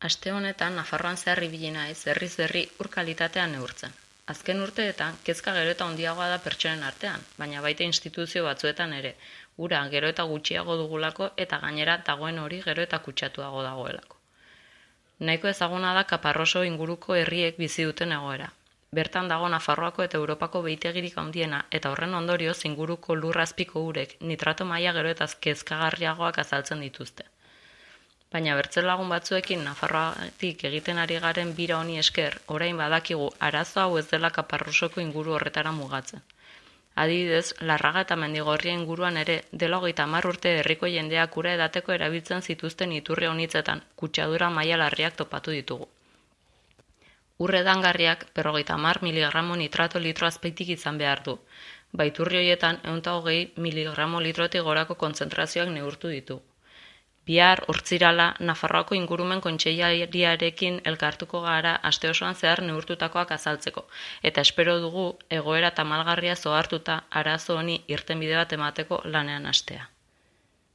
Aste honetan Nafarroan zehar ibili naiz herriz herri ur kalitatea neurtzen. Azken urteetan kezka gero eta handiagoa da pertsonen artean, baina baita instituzio batzuetan ere. Ura gero eta gutxiago dugulako eta gainera dagoen hori gero eta kutsatuago dagoelako. Nahiko ezaguna da Kaparroso inguruko herriek bizi duten egoera. Bertan dago Nafarroako eta Europako behitegirik handiena eta horren ondorioz inguruko lurrazpiko urek nitrato maila gero eta kezkagarriagoak azaltzen dituzte. Baina bertzelagun batzuekin Nafarroatik egiten ari garen bira honi esker, orain badakigu arazo hau ez dela Kaparrosoko inguru horretara mugatzen. Adibidez, Larraga eta Mendigorria inguruan ere dela 30 urte herriko jendeak ura edateko erabiltzen zituzten iturri honitzetan kutsadura maila larriak topatu ditugu. Ur edangarriak 50 miligramo nitrato litro azpeitik izan behar du. Baiturri horietan 120 miligramo litrotik gorako kontzentrazioak neurtu ditugu. Bihar, Hortzirala, Nafarroako ingurumen kontseilariarekin elkartuko gara aste osoan zehar neurtutakoak azaltzeko, eta espero dugu egoera tamalgarria zohartuta arazo honi irtenbide bat emateko lanean hastea.